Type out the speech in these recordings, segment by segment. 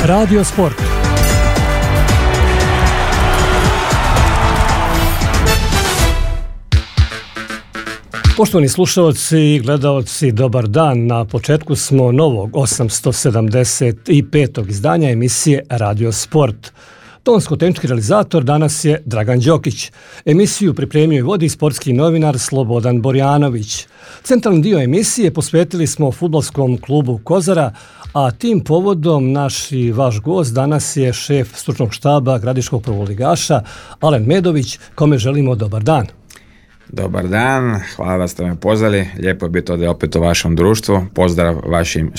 Radio Sport. Poštovani slušalci i gledalci, dobar dan. Na početku smo novog 875. izdanja emisije Radio Sport. Tonsko-tehnički realizator danas je Dragan Đokić. Emisiju pripremio i vodi sportski novinar Slobodan Borjanović. Centralni dio emisije posvetili smo fudbalskom klubu Kozara, a tim povodom naš i vaš gost danas je šef stručnog štaba gradiškog prvoligaša Alen Medović, kome želimo dobar dan. Dobar dan, hvala da ste me pozvali, lijepo je biti ovdje opet u vašem društvu, pozdrav vašim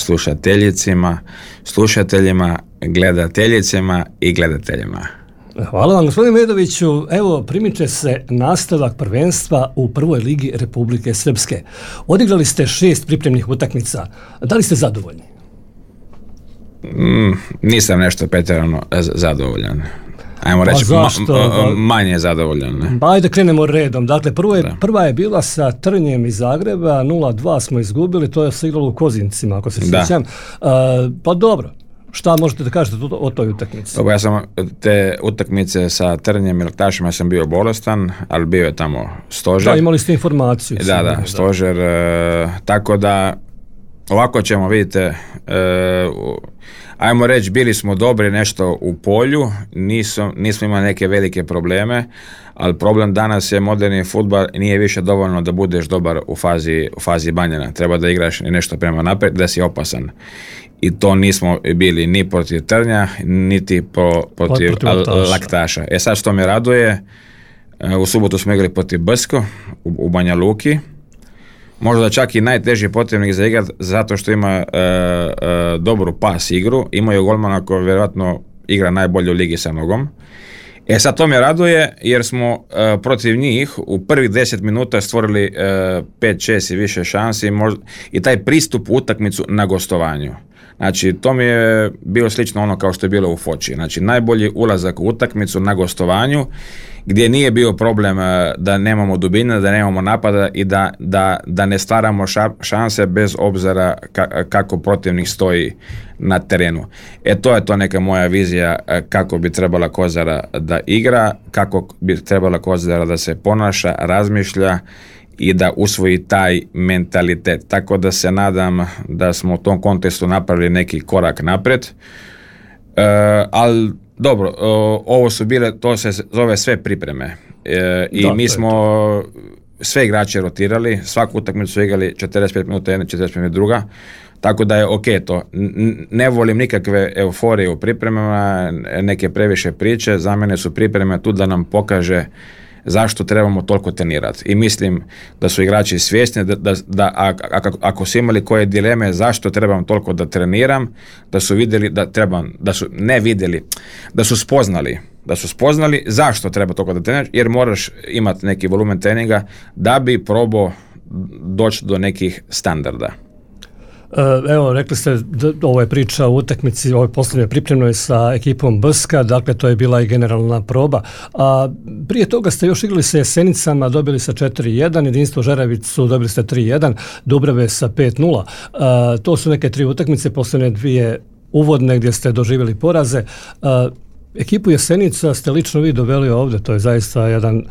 slušateljima, gledateljicama i gledateljima. Hvala vam, gospodine Medoviću. Evo, primiče se nastavak prvenstva u prvoj ligi Republike Srpske. Odigrali ste 6 pripremnih utakmica. Da li ste zadovoljni? Nisam nešto pretjerano zadovoljan. Ajmo reći, manje zadovoljan. Ne? Ajde krenemo redom. Dakle, prva je bila sa Trnjem iz Zagreba, 0-2 smo izgubili, to je se igralo u Kozincima, ako se sjećam. Pa dobro, šta možete da kažete o toj utakmici? Dobro, ja sam te utakmice sa Trnjem i Laktašima sam bio bolestan, ali bio je tamo stožer. Da, imali ste informaciju. Da, stožer. Tako da, ovako ćemo, vidite, ajmo reći, bili smo dobri nešto u polju, nismo imali neke velike probleme, ali problem danas je moderni fudbal, nije više dovoljno da budeš dobar u fazi banjena. Treba da igraš nešto prema naprijed, da si opasan. I to nismo bili ni protiv Trnja, niti protiv Laktaša. Sad što me raduje, u subotu smo igrali protiv Brsko u Banja Luki. Možda čak i najteži protivnik za igrat, zato što ima dobru pas igru. Imaju golmana koji vjerojatno igra najbolje u ligi sa nogom. Sad to me raduje jer smo protiv njih u prvih 10 minuta stvorili 5-6 i više šansi i taj pristup u utakmicu na gostovanju. Znači, to mi je bilo slično ono kao što je bilo u Foči. Znači, najbolji ulazak u utakmicu na gostovanju, gdje nije bio problem da nemamo dubine, da nemamo napada i da ne stvaramo šanse bez obzira kako protivnik stoji na terenu. To je to neka moja vizija kako bi trebala Kozara da igra, kako bi trebala Kozara da se ponaša, razmišlja i da usvoji taj mentalitet. Tako da se nadam da smo u tom kontekstu napravili neki korak naprijed. Ali dobro, ovo su bile, to se zove sve pripreme. Mi smo sve igrače rotirali, svaku utakmicu su igrali 45 minuta jedna, 45 minuta druga. Tako da je ok to. Ne volim nikakve euforije u pripremama, neke previše priče. Za mene su pripreme tu da nam pokaže zašto trebamo toliko trenirati. I mislim da su igrači svjesni da ako su imali koje dileme zašto trebam toliko da treniram, da su vidjeli da su spoznali zašto treba toliko da treniraš, jer moraš imati neki volumen treninga da bi probao doći do nekih standarda. Evo, rekli ste, ovo je priča o utakmici, ovo je posljednje pripremno sa ekipom Brska, dakle to je bila i generalna proba. A prije toga ste još igrali sa Jesenicama, dobili sa 4-1, Jedinstvo Žeravicu dobili ste 3-1, Dubrave sa 5-0. To su neke 3 utakmice, posljednje 2 uvodne gdje ste doživjeli poraze. Ekipu Jesenica ste lično vi doveli ovdje, to je zaista jedan,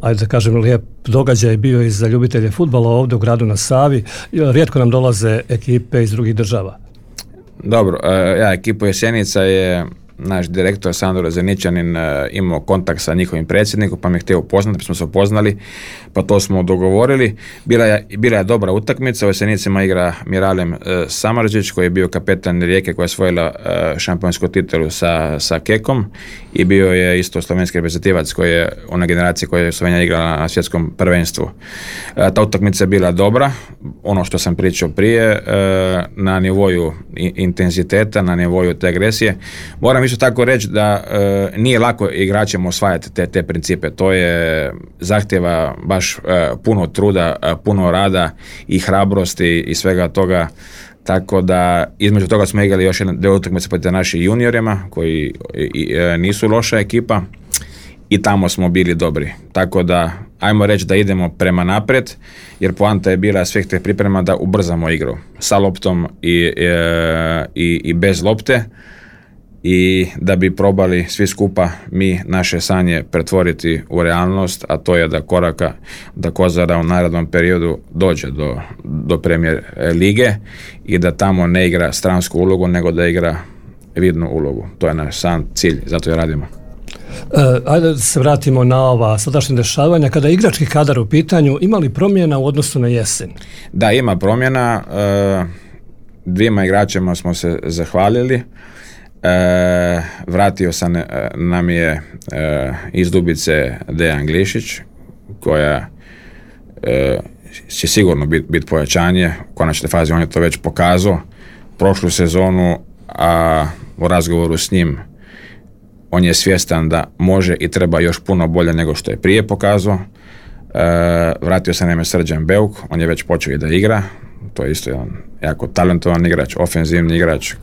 ajde da kažem, lijep događaj bio i za ljubitelje fudbala ovdje u gradu na Savi. Rijetko nam dolaze ekipe iz drugih država. Dobro, ekipu Jesenica je naš direktor Sandor Zeničanin imao kontakt sa njihovim predsjednikom, pa me htio upoznati, pa smo se upoznali, pa to smo dogovorili. Bila je dobra utakmica, u Jesenicima igra Miralem Samardžić, koji je bio kapetan Rijeke koja je osvojila šampionsku titulu sa Kekom, i bio je isto slovenski reprezentativac koji je ona generacija koja je Slovenija igrala na svjetskom prvenstvu. Ta utakmica je bila dobra, ono što sam pričao prije, na nivoju intenziteta, na nivoju te agresije. Moram isto tako reći da nije lako igračima osvajati te principe. To je zahtjeva baš puno truda, puno rada i hrabrosti i svega toga. Tako da između toga smo igrali još jedne utakmice protiv naših juniorima koji nisu loša ekipa i tamo smo bili dobri. Tako da ajmo reći da idemo prema naprijed, jer poanta je bila svih tih priprema da ubrzamo igru sa loptom i bez lopte. i da bi probali svi skupa mi naše sanje pretvoriti u realnost, a to je da Kozara u narednom periodu dođe do Premier lige i da tamo ne igra stransku ulogu, nego da igra vidnu ulogu. To je naš sam cilj, zato je radimo. Ajde da se vratimo na ova sadašnja dešavanja. Kada je igrački kadar u pitanju, ima li promjena u odnosu na jesen? Da, ima promjena. Dvima igračima smo se zahvalili. Vratio sam nam je iz Dubice Dejan Glišić, koja će sigurno biti pojačanje. U konačnoj fazi on je to već pokazao. Prošlu sezonu, a u razgovoru s njim on je svjestan da može i treba još puno bolje nego što je prije pokazao. Vratio se nam je Srđan Beuk, on je već počeo i da igra. To je isto jedan jako talentovan igrač, ofenzivni igrač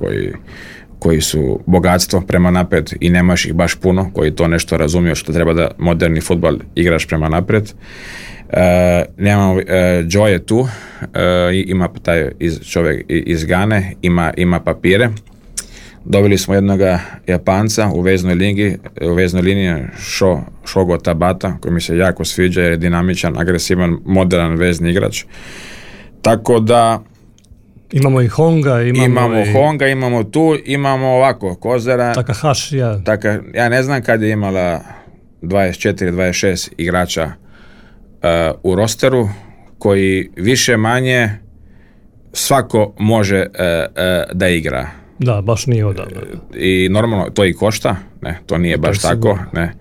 koji su bogatstvo prema naprijed i nemaš ih baš puno, koji to nešto razumiju što treba da moderni fudbal igraš prema naprijed. Nemamo Joe je tu, ima taj čovjek iz Gane, ima papire. Dobili smo jednoga Japanca u veznoj liniji Shogo Tabata, koji mi se jako sviđa jer je dinamičan, agresivan, modern vezni igrač. Tako da imamo i Honga, imamo tu, imamo ovako Kozara. Takahashi, ja ne znam kad je imala 24-26 igrača u rosteru koji više manje svako može da igra. Da, baš nije odavno. I normalno to i košta, ne, to nije baš tako, ne.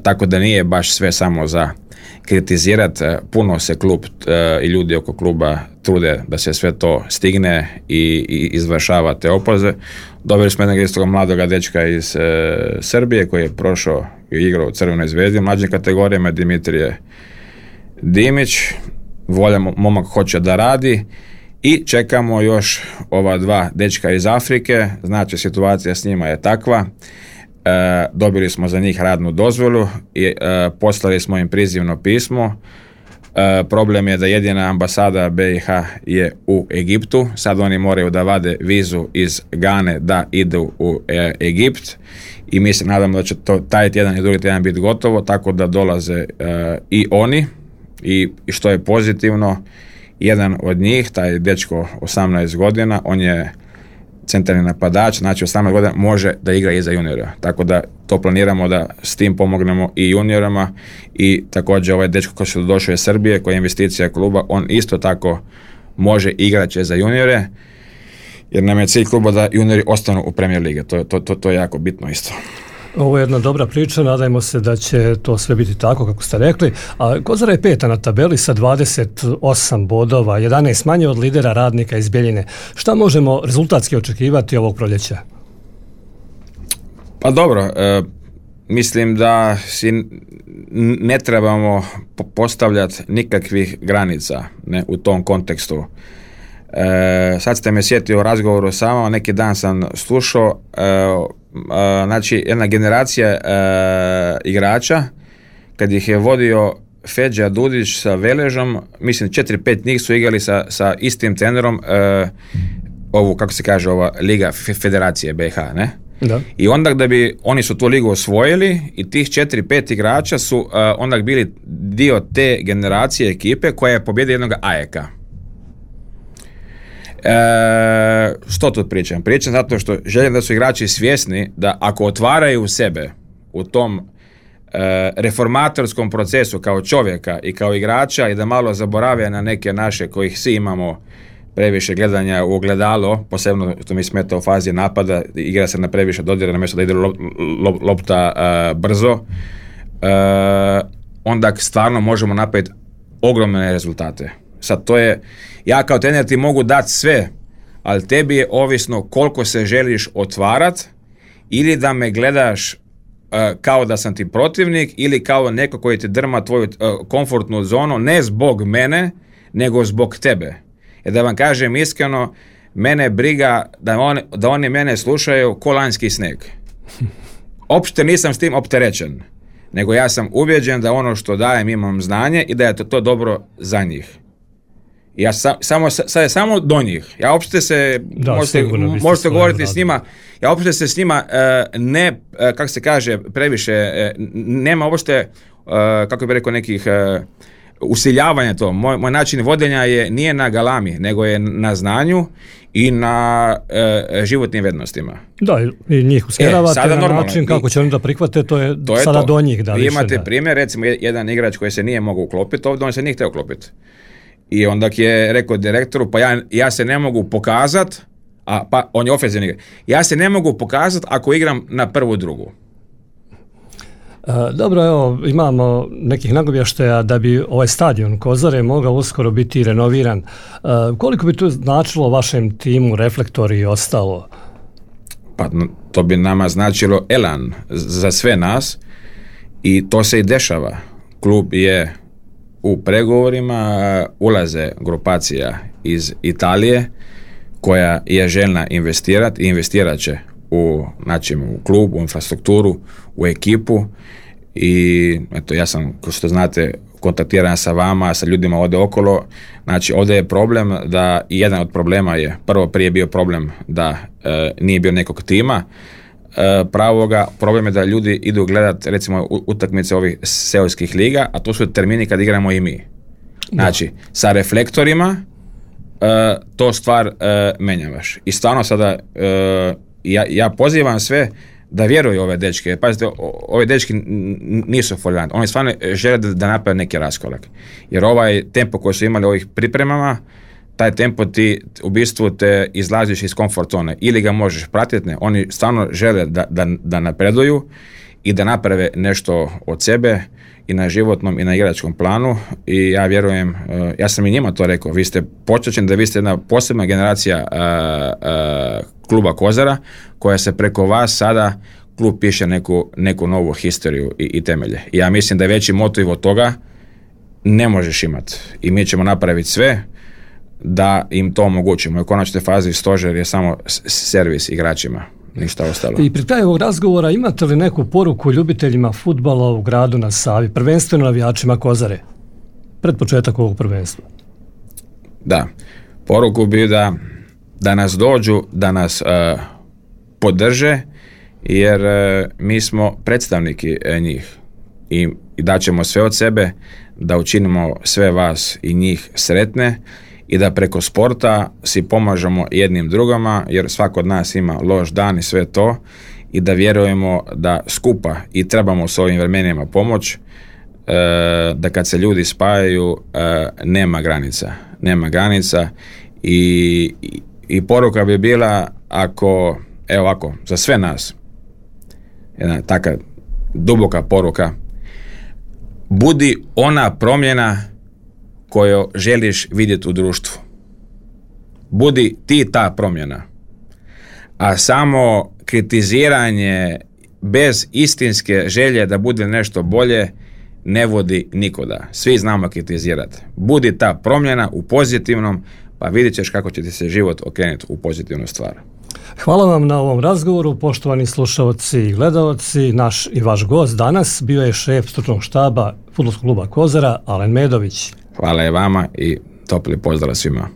Tako da nije baš sve samo za kritizirati. Puno se klub i ljudi oko kluba trude da se sve to stigne i izvršava te opoze. Dobili smo jednog istog mladoga dečka iz Srbije koji je prošao i igrao u Crvenoj zvezdi, mlađim kategorijama, Dimitrije Dimić. Momak hoće da radi. I čekamo još ova dva dečka iz Afrike, znači situacija s njima je takva. Dobili smo za njih radnu dozvolu i poslali smo im prizivno pismo. Problem je da jedina ambasada BiH je u Egiptu. Sad oni moraju da vade vizu iz Gane da idu u Egipt i mi se nadamo da će taj tjedan i drugi tjedan biti gotovo, tako da dolaze i oni i što je pozitivno, jedan od njih, taj dečko 18 godina, on je centralni napadač, znači 18 godina može da igra i za juniora. Tako da to planiramo da s tim pomognemo i juniorama i također ovaj dečko koji je došao iz Srbije, koji je investicija kluba, on isto tako može igrati za juniore, jer nam je cilj kluba da juniori ostanu u Premier lige. To je jako bitno isto. Ovo je jedna dobra priča, nadajmo se da će to sve biti tako kako ste rekli. A Kozara je peta na tabeli sa 28 bodova, 11 manje od lidera Radnika iz Bjeljine. Šta možemo rezultatski očekivati ovog proljeća? Pa dobro, mislim da si ne trebamo postavljati nikakvih granica, ne, u tom kontekstu. Sad ste me sjetio o razgovoru sama, neki dan sam slušao, znači jedna generacija igrača, kad ih je vodio Feđa Dudić sa Veležom, mislim 4-5 njih su igrali sa istim trenerom ovu, kako se kaže, ova Liga Federacije BiH, ne? Da. I onda da bi oni su tu ligu osvojili i tih 4-5 igrača su onda bili dio te generacije ekipe koja je pobjedila jednog Ajeka. Što tu pričam? Pričam zato što želim da su igrači svjesni da ako otvaraju sebe u tom reformatorskom procesu kao čovjeka i kao igrača i da malo zaborave na neke naše kojih svi imamo previše gledanja u ogledalo, posebno što mi smeta u fazi napada, igra se na previše dodira na mjesto da ide lopta brzo, onda stvarno možemo napraviti ogromne rezultate. Sad to je, ja kao trener ti mogu dati sve, ali tebi je ovisno koliko se želiš otvarat ili da me gledaš kao da sam ti protivnik ili kao neko koji ti drma tvoju komfortnu zonu, ne zbog mene, nego zbog tebe. Jer da vam kažem iskreno, mene briga da oni mene slušaju ko lanjski sneg. Opšte nisam s tim opterećen, nego ja sam ubjeđen da ono što dajem imam znanje i da je to dobro za njih. Sad je samo do njih. Ja uopšte se, možete govoriti s njima, ja uopšte se s njima ne, kako se kaže, previše, nema uopšte, kako bi rekao, nekih usiljavanja to. Moj način vodenja nije na galami, nego je na znanju i na životnim vrijednostima. Da, i njih usmjeravate na način kako će oni da prihvate, to je sada do njih. Da, vi imate primjer, recimo jedan igrač koji se nije mogao uklopiti ovdje, on se nije htio uklopiti. I onda je rekao direktoru, pa ja se ne mogu pokazati, pa on je ofenzivni igrač, ja se ne mogu pokazati ako igram na prvu drugu. Dobro, evo, imamo nekih nagovještaja da bi ovaj stadion Kozare mogao uskoro biti renoviran. Koliko bi to značilo vašem timu, Reflektori i ostalo? Pa to bi nama značilo elan za sve nas i to se i dešava. Klub je u pregovorima, ulaze grupacija iz Italije koja je željna investirati i investirat će u klub, u infrastrukturu, u ekipu i eto, ja sam, kao što znate, kontaktiran sa vama, sa ljudima ovdje okolo. Znači, ovdje je problem da, jedan od problema je, prije bio problem da nije bio nekog tima pravoga, problem je da ljudi idu gledati recimo utakmice ovih seoskih liga, a to su termini kad igramo i mi. Znači, sa Reflektorima to stvar menjavaš. I stvarno sada ja pozivam sve da vjeruju ove dečke. Pazite, ove dečki nisu folijanti. Oni stvarno žele da naprave neki raskorak. Jer ovaj tempo koji su imali u ovih pripremama, taj tempo ti u bistvu te izlaziš iz komfort zone. Ili ga možeš pratiti, ne. Oni stvarno žele da napreduju i da naprave nešto od sebe i na životnom i na igračkom planu i ja vjerujem, ja sam i njima to rekao, vi ste počećeni da vi ste jedna posebna generacija kluba Kozara koja se preko vas sada klub piše neku novu historiju i temelje. I ja mislim da je veći motiv od toga ne možeš imati i mi ćemo napraviti sve da im to omogućimo. U konačnoj fazi stožer je samo servis igračima. Ništa ostalo. I pri kraju ovog razgovora imate li neku poruku ljubiteljima fudbala u gradu na Savi, prvenstveno navijačima Kozare, pred početak ovog prvenstva? Da, poruku bi da nas dođu, da nas podrže, jer mi smo predstavniki njih i daćemo sve od sebe da učinimo sve vas i njih sretne i da preko sporta si pomažemo jednim drugama, jer svako od nas ima loš dan i sve to, i da vjerujemo da skupa i trebamo s ovim vremenima pomoć, da kad se ljudi spajaju nema granica i poruka bi bila, ako, evo ovako, za sve nas, jedna taka duboka poruka, budi ona promjena koju želiš vidjeti u društvu. Budi ti ta promjena. A samo kritiziranje bez istinske želje da bude nešto bolje ne vodi nikuda. Svi znamo kritizirati. Budi ta promjena u pozitivnom, pa vidjet ćeš kako će ti se život okrenuti u pozitivnu stvar. Hvala vam na ovom razgovoru, poštovani slušalci i gledalci. Naš i vaš gost danas bio je šef stručnog štaba Fudbalskog kluba Kozara, Alen Medović. Hvala i vama i topli pozdrav svima.